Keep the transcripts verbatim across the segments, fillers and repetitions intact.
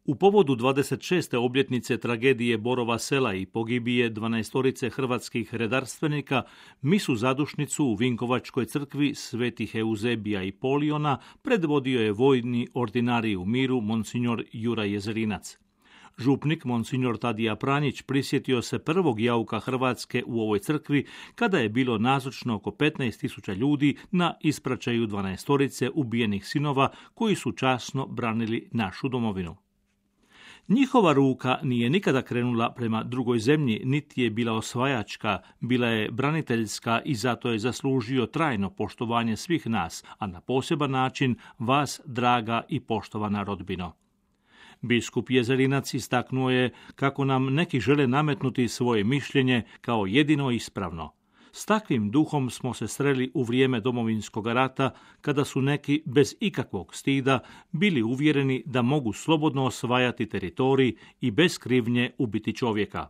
U povodu dvadeset šeste obljetnice tragedije Borova sela i pogibije dvanaestorice hrvatskih redarstvenika, misu zadušnicu u Vinkovačkoj crkvi svetih Euzebija i Poliona predvodio je vojni ordinarij u miru monsignor Juraj Jezerinac. Župnik monsignor Tadija Pranjić prisjetio se prvog jauka Hrvatske u ovoj crkvi kada je bilo nazočno oko petnaest tisuća ljudi na ispraćaju dvanaestorice ubijenih sinova koji su časno branili našu domovinu. Njihova ruka nije nikada krenula prema drugoj zemlji, niti je bila osvajačka, bila je braniteljska i zato je zaslužio trajno poštovanje svih nas, a na poseban način vas, draga i poštovana rodbino. Biskup Jezerinac istaknuo je kako nam neki žele nametnuti svoje mišljenje kao jedino ispravno. S takvim duhom smo se sreli u vrijeme Domovinskog rata, kada su neki bez ikakvog stida bili uvjereni da mogu slobodno osvajati teritorij i bez krivnje ubiti čovjeka.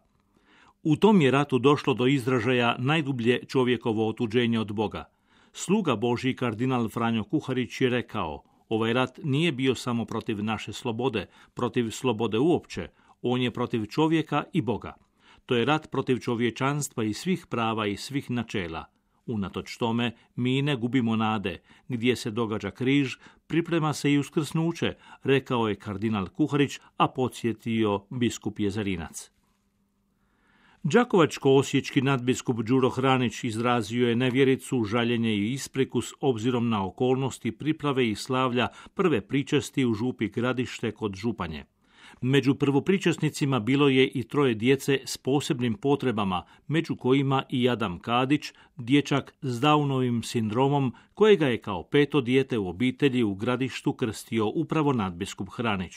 U tom je ratu došlo do izražaja najdublje čovjekovo otuđenje od Boga. Sluga Božji kardinal Franjo Kuharić je rekao: ovaj rat nije bio samo protiv naše slobode, protiv slobode uopće, on je protiv čovjeka i Boga. To je rat protiv čovječanstva i svih prava i svih načela. Unatoč tome, mi ne gubimo nade. Gdje se događa križ, priprema se i uskrsnuće, rekao je kardinal Kuharić, a podsjetio biskup Jezerinac. Đakovačko-osječki nadbiskup Đuro Hranić izrazio je nevjericu, žaljenje i ispriku s obzirom na okolnosti priprave i slavlja prve pričesti u župi Gradište kod Županje. Među prvopričasnicima bilo je i troje djece s posebnim potrebama, među kojima i Adam Kadić, dječak s Downovim sindromom, kojega je kao peto dijete u obitelji u Gradištu krstio upravo nadbiskup Hranić.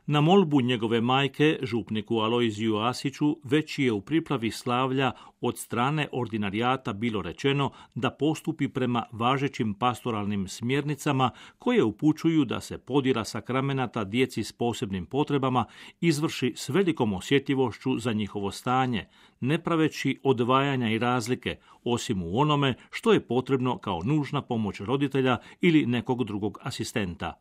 Na molbu njegove majke, župniku Alojziju Asiću, već je u pripravi slavlja od strane ordinarijata bilo rečeno da postupi prema važećim pastoralnim smjernicama koje upućuju da se podjela sakramenata djeci s posebnim potrebama izvrši s velikom osjetljivošću za njihovo stanje, ne praveći odvajanja i razlike, osim u onome što je potrebno kao nužna pomoć roditelja ili nekog drugog asistenta.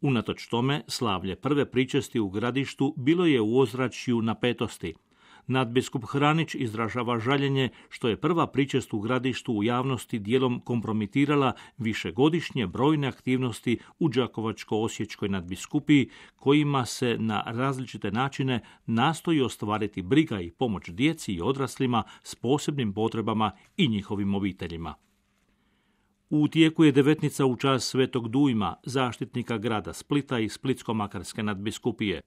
Unatoč tome, slavlje prve pričesti u Gradištu bilo je u ozračju napetosti. Nadbiskup Hranić izražava žaljenje što je prva pričest u Gradištu u javnosti dijelom kompromitirala višegodišnje brojne aktivnosti u Đakovačko-osječkoj nadbiskupiji, kojima se na različite načine nastoji ostvariti briga i pomoć djeci i odraslima s posebnim potrebama i njihovim obiteljima. U tijeku je devetnica u čast Svetog Dujma, zaštitnika grada Splita i Splitsko-makarske nadbiskupije.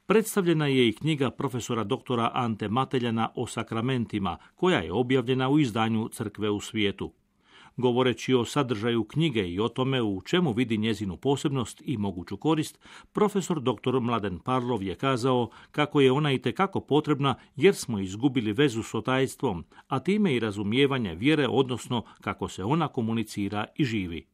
Predstavljena je i knjiga profesora doktora Ante Mateljana o sakramentima, koja je objavljena u izdanju Crkve u svijetu. Govoreći o sadržaju knjige i o tome u čemu vidi njezinu posebnost i moguću korist, profesor doktor Mladen Parlov je kazao kako je ona itekako potrebna jer smo izgubili vezu s otajstvom, a time i razumijevanje vjere, odnosno kako se ona komunicira i živi.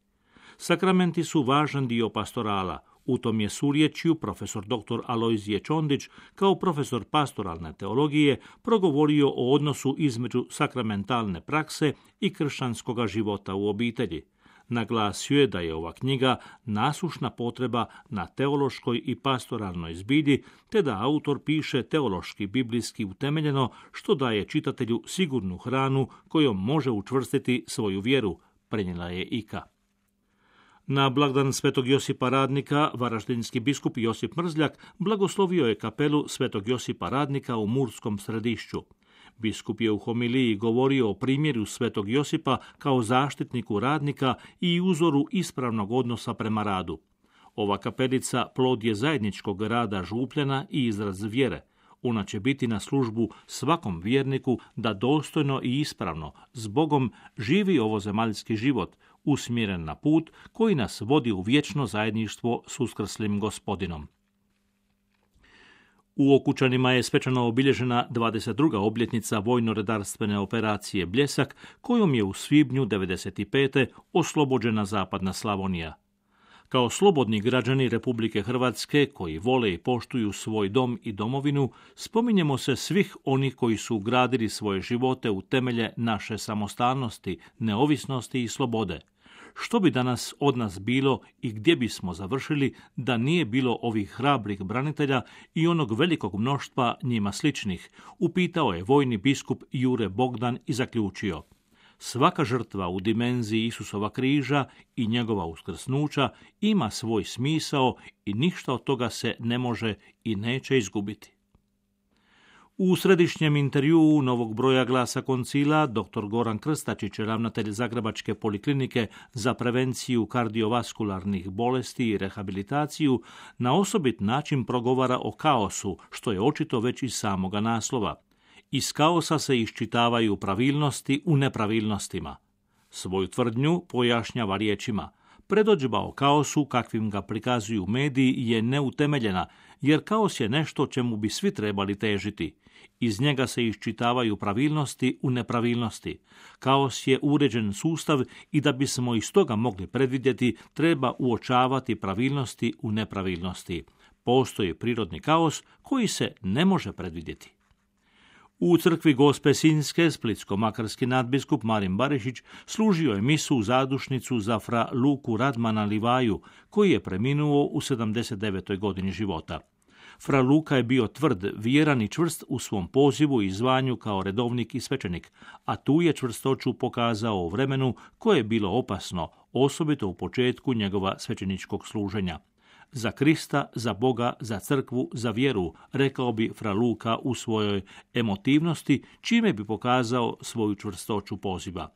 Sakramenti su važan dio pastorala. U tom je surječju profesor doktor Alojzije Čondić, kao profesor pastoralne teologije, progovorio o odnosu između sakramentalne prakse i kršćanskoga života u obitelji. Naglasio je da je ova knjiga nasušna potreba na teološkoj i pastoralnoj zbilji, te da autor piše teološki biblijski utemeljeno, što daje čitatelju sigurnu hranu kojom može učvrstiti svoju vjeru, prenijela je Ika. Na blagdan Svetog Josipa Radnika, varaždinski biskup Josip Mrzljak blagoslovio je kapelu Svetog Josipa Radnika u Murskom Središću. Biskup je u homiliji govorio o primjeru Svetog Josipa kao zaštitniku radnika i uzoru ispravnog odnosa prema radu. Ova kapelica plod je zajedničkog rada Župljana i izraz vjere. Ona će biti na službu svakom vjerniku da dostojno i ispravno s Bogom živi ovozemaljski život, usmjeren na put koji nas vodi u vječno zajedništvo s uskrslim Gospodinom. U Okučanima je svečano obilježena dvadeset druga obljetnica vojno-redarstvene operacije Bljesak, kojom je u svibnju devedeset pete oslobođena zapadna Slavonija. Kao slobodni građani Republike Hrvatske koji vole i poštuju svoj dom i domovinu, spominjemo se svih onih koji su ugradili svoje živote u temelje naše samostalnosti, neovisnosti i slobode. Što bi danas od nas bilo i gdje bismo završili da nije bilo ovih hrabrih branitelja i onog velikog mnoštva njima sličnih, upitao je vojni biskup Jure Bogdan i zaključio: svaka žrtva u dimenziji Isusova križa i njegova uskrsnuća ima svoj smisao i ništa od toga se ne može i neće izgubiti. U središnjem intervjuu novog broja Glasa koncila dr. Goran Krstačić, ravnatelj Zagrebačke poliklinike za prevenciju kardiovaskularnih bolesti i rehabilitaciju, na osobit način progovara o kaosu, što je očito već iz samoga naslova. Iz kaosa se iščitavaju pravilnosti u nepravilnostima. Svoju tvrdnju pojašnjava riječima: predodžba o kaosu, kakvim ga prikazuju mediji, je neutemeljena, jer kaos je nešto čemu bi svi trebali težiti. Iz njega se iščitavaju pravilnosti u nepravilnosti. Kaos je uređen sustav i da bismo iz toga mogli predvidjeti, treba uočavati pravilnosti u nepravilnosti. Postoji prirodni kaos koji se ne može predvidjeti. U crkvi Gospe Sinjske splitsko-makarski nadbiskup Marin Barišić služio je misu zadušnicu za fra Luku Radmana Livaju, koji je preminuo u sedamdeset devetoj godini života. Fra Luka je bio tvrd, vjeran i čvrst u svom pozivu i zvanju kao redovnik i svećenik, a tu je čvrstoću pokazao u vremenu koje je bilo opasno, osobito u početku njegova svećeničkog služenja. Za Krista, za Boga, za crkvu, za vjeru, rekao bi fra Luka u svojoj emotivnosti, čime bi pokazao svoju čvrstoću poziva.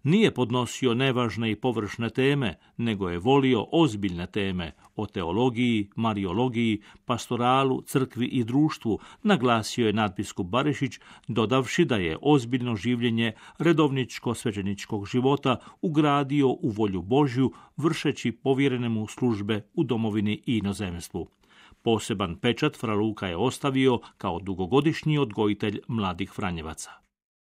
Nije podnosio nevažne i površne teme, nego je volio ozbiljne teme o teologiji, mariologiji, pastoralu, crkvi i društvu, naglasio je nadbiskup Barišić, dodavši da je ozbiljno življenje redovničko-svećeničkog života ugradio u volju Božju, vršeći povjerene mu službe u domovini i inozemstvu. Poseban pečat fra Luka je ostavio kao dugogodišnji odgojitelj mladih Franjevaca.